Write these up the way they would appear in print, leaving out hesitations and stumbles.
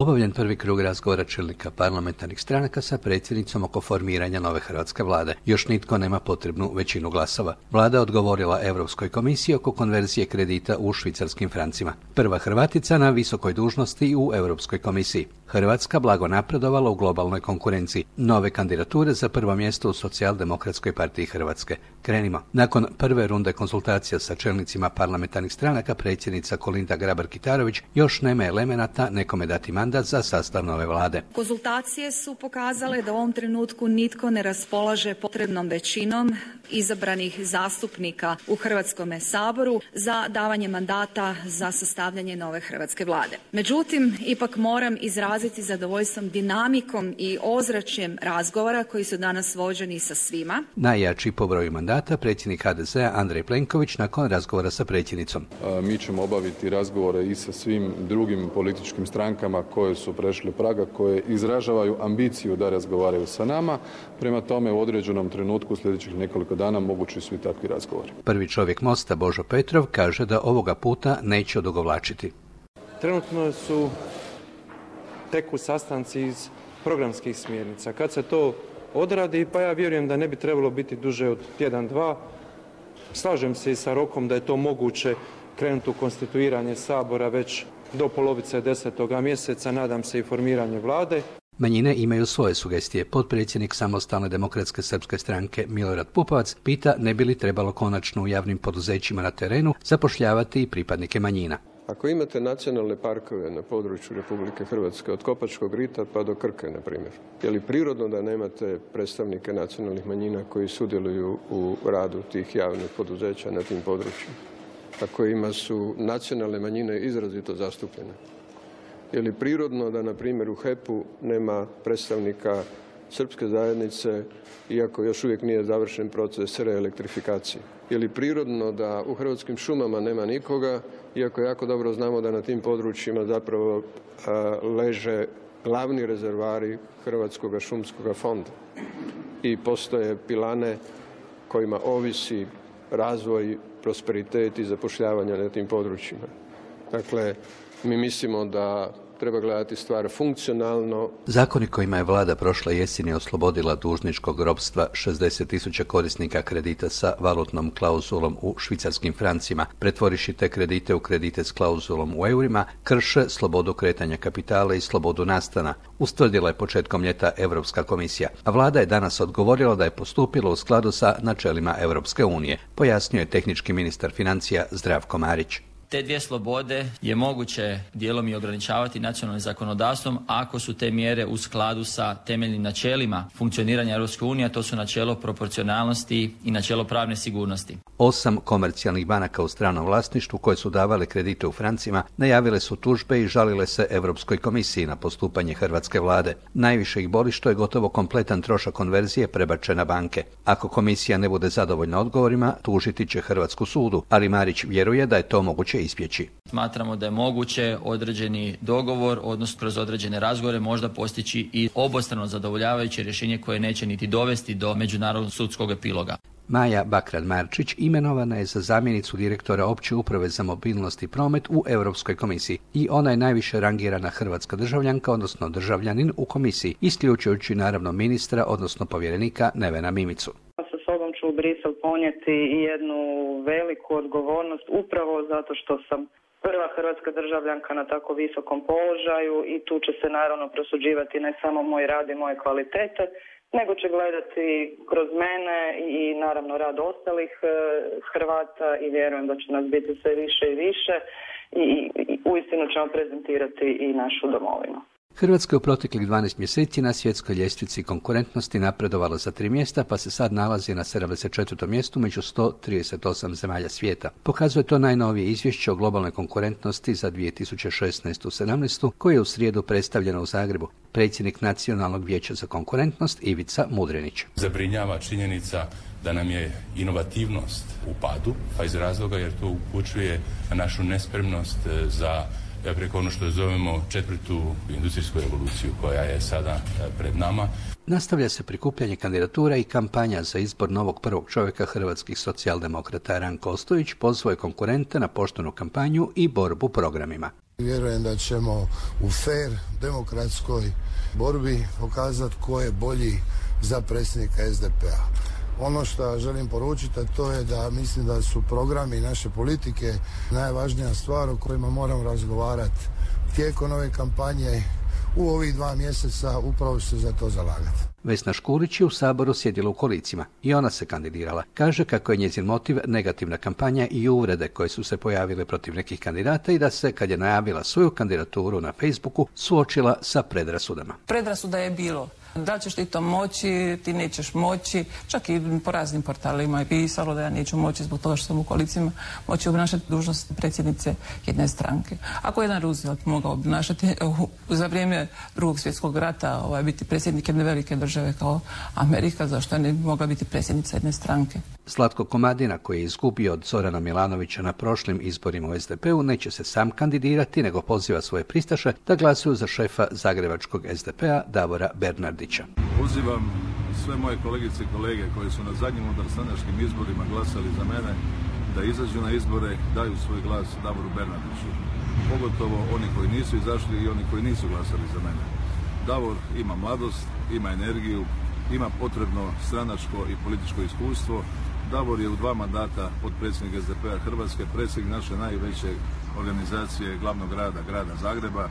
Obavljen prvi krug razgovora čelnika parlamentarnih stranaka sa predsjednicom oko formiranja nove hrvatske vlade. Još nitko nema potrebnu većinu glasova. Vlada je odgovorila Europskoj komisiji oko konverzije kredita u švicarskim francima. Prva Hrvatica na visokoj dužnosti u Europskoj komisiji. Hrvatska blago napredovala u globalnoj konkurenciji. Nove kandidature za prvo mjesto u Socijaldemokratskoj partiji Hrvatske. Krenimo. Nakon prve runde konsultacija sa čelnicima parlamentarnih stranaka, predsjednica Kolinda Grabar-Kitarović još nema elemenata nekome dati mandat za sastav nove vlade. Konzultacije su pokazale da u ovom trenutku nitko ne raspolaže potrebnom većinom izabranih zastupnika u Hrvatskome saboru za davanje mandata za sastavljanje nove hrvatske vlade. Međutim, ipak moram izraziti zadovoljstvom dinamikom i ozračjem razgovora koji su danas vođeni sa svima. Najjači po broju mandata predsjednik HDZ-a Andrej Plenković nakon razgovora sa predsjednicom. Mi ćemo obaviti razgovore i sa svim drugim političkim strankama koje su prešle praga, koje izražavaju ambiciju da razgovaraju sa nama. Prema tome, u određenom trenutku sljedećih nekoliko dana mogući su i takvi razgovori. Prvi čovjek Mosta Božo Petrov kaže da ovoga puta neće odugovlačiti. Trenutno su teku sastanci iz programskih smjernica. Kad se to odradi, pa ja vjerujem da ne bi trebalo biti duže od tjedan, dva. Slažem se i sa rokom da je to moguće krenuti u konstituiranje Sabora već do polovice 10. mjeseca, nadam se i formiranje vlade. Manjine imaju svoje sugestije. Potpredsjednik Samostalne demokratske srpske stranke Milorad Pupovac pita ne bi li trebalo konačno u javnim poduzećima na terenu zapošljavati i pripadnike manjina. Ako imate nacionalne parkove na području Republike Hrvatske, od Kopačkog rita pa do Krke, na primjer, je li prirodno da nemate predstavnike nacionalnih manjina koji sudjeluju u radu tih javnih poduzeća na tim područjima? A kojima su nacionalne manjine izrazito zastupljene. Je li prirodno da, na primjer, u HEP-u nema predstavnika srpske zajednice, iako još uvijek nije završen proces reelektrifikacije? Je li prirodno da u Hrvatskim šumama nema nikoga, iako jako dobro znamo da na tim područjima zapravo leže glavni rezervari Hrvatskog šumskog fonda i postoje pilane kojima ovisi razvoj, prosperitet i zapošljavanje na tim područjima. Dakle, mi mislimo da treba gledati stvar funkcionalno. Zakoni kojima je vlada prošle jeseni oslobodila dužničkog ropstva 60.000 korisnika kredita sa valutnom klauzulom u švicarskim francima, pretvoriši te kredite u kredite s klauzulom u eurima, krše slobodu kretanja kapitala i slobodu nastana, ustvrdila je početkom ljeta Europska komisija. A vlada je danas odgovorila da je postupila u skladu sa načelima Europske unije, pojasnio je tehnički ministar financija Zdravko Marić. Te dvije slobode je moguće dijelom i ograničavati nacionalnim zakonodavstvom ako su te mjere u skladu sa temeljnim načelima funkcioniranja Europske unije, a to su načelo proporcionalnosti i načelo pravne sigurnosti. 8 komercijalnih banaka u stranom vlasništvu koje su davale kredite u francima najavile su tužbe i žalile se Europskoj komisiji na postupanje hrvatske vlade. Najviše ih boli što je gotovo kompletan trošak konverzije prebačen na banke. Ako komisija ne bude zadovoljna odgovorima, tužiti će Hrvatsku sudu, ali Marić vjeruje da je to moguće ispjeći. Smatramo da je moguće određeni dogovor, odnosno kroz određene razgovore možda postići i obostrano zadovoljavajuće rješenje koje neće niti dovesti do međunarodnog sudskog epiloga. Maja Bakran-Marčić imenovana je za zamjenicu direktora opće uprave za mobilnost i promet u Europskoj komisiji i ona je najviše rangirana hrvatska državljanka, odnosno državljanin u komisiji, isključujući naravno ministra, odnosno povjerenika Nevena Mimicu. Sa sobom ću u Brisel ponijeti i jednu veliku odgovornost upravo zato što sam prva hrvatska državljanka na tako visokom položaju i tu će se naravno prosuđivati ne samo moj rad i moje kvalitete, nego će gledati kroz mene i naravno rad ostalih Hrvata i vjerujem da će nas biti sve više i više i uistinu ćemo prezentirati i našu domovinu. Hrvatska je u proteklih 12 mjeseci na svjetskoj ljestvici konkurentnosti napredovala za 3 mjesta, pa se sad nalazi na 74. mjestu među 138 zemalja svijeta. Pokazuje to najnovije izvješće o globalnoj konkurentnosti za 2016-17, koje je u srijedu predstavljeno u Zagrebu. Predsjednik Nacionalnog vijeća za konkurentnost Ivica Mudrinić. Zabrinjava činjenica da nam je inovativnost u padu, pa iz razloga jer to upućuje na našu nespremnost za preko ono što zovemo 4. industrijsku revoluciju koja je sada pred nama. Nastavlja se prikupljanje kandidatura i kampanja za izbor novog prvog čovjeka hrvatskih socijaldemokrata. Ranko Ostojić pozvao je konkurente na poštenu kampanju i borbu programima. Vjerujem da ćemo u fair, demokratskoj borbi pokazati ko je bolji za predsjednika SDP-a. Ono što želim poručiti, to je da mislim da su programi naše politike najvažnija stvar o kojima moramo razgovarati tijekom ove kampanje. U ovih 2 mjeseca upravo se za to zalagati. Vesna Škulić je u Saboru sjedila u kolicima i ona se kandidirala. Kaže kako je njezin motiv negativna kampanja i uvrede koje su se pojavile protiv nekih kandidata i da se, kad je najavila svoju kandidaturu na Facebooku, suočila sa predrasudama. Predrasuda je bilo. Da li ćeš ti to moći, ti nećeš moći. Čak i po raznim portalima je pisalo da ja neću moći zbog toga što sam u kolicima moći obnašati dužnost predsjednice jedne stranke. Ako je jedan Roosevelt mogao obnašati za vrijeme Drugog svjetskog rata biti predsjednik jedne velike države kao Amerika, zašto ne bi mogla biti predsjednica jedne stranke? Zlatko Komadina, koji je izgubio od Zorana Milanovića na prošlim izborima u SDP-u, neće se sam kandidirati, nego poziva svoje pristaše da glasuju za šefa zagrebačkog SDP-a Davora Bernardića. Pozivam sve moje kolegice i kolege koji su na zadnjim unutarstranačkim izborima glasali za mene da izađu na izbore, daju svoj glas Davoru Bernardiću. Pogotovo oni koji nisu izašli i oni koji nisu glasali za mene. Davor ima mladost, ima energiju, ima potrebno stranačko i političko iskustvo. Davor je u 2 mandata potpredsjednik SDP-a Hrvatske, predsjednik naše najveće organizacije glavnog grada Zagreba.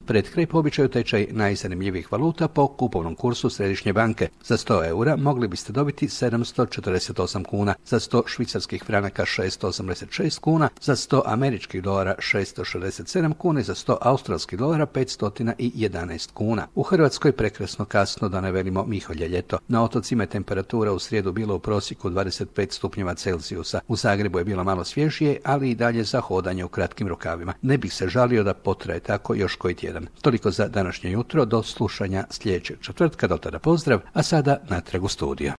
Pred kraj po običaju tečaj najzanimljivijih valuta po kupovnom kursu Središnje banke. Za 100 eura mogli biste dobiti 748 kuna, za 100 švicarskih franaka 686 kuna, za 100 američkih dolara 667 kuna i za 100 australskih dolara 511 kuna. U Hrvatskoj prekrasno kasno, da ne velimo miholje ljeto. Na otocima je temperatura u srijedu bila u prosjeku 25 stupnjeva Celzijusa. U Zagrebu je bilo malo svježije, ali i dalje za hodanje u kratkim rukavima. Ne bih se žalio da potraje tako još koji tjedan. Toliko za današnje jutro, do slušanja sljedećeg četvrtka, do tada pozdrav, a sada natrag u studio.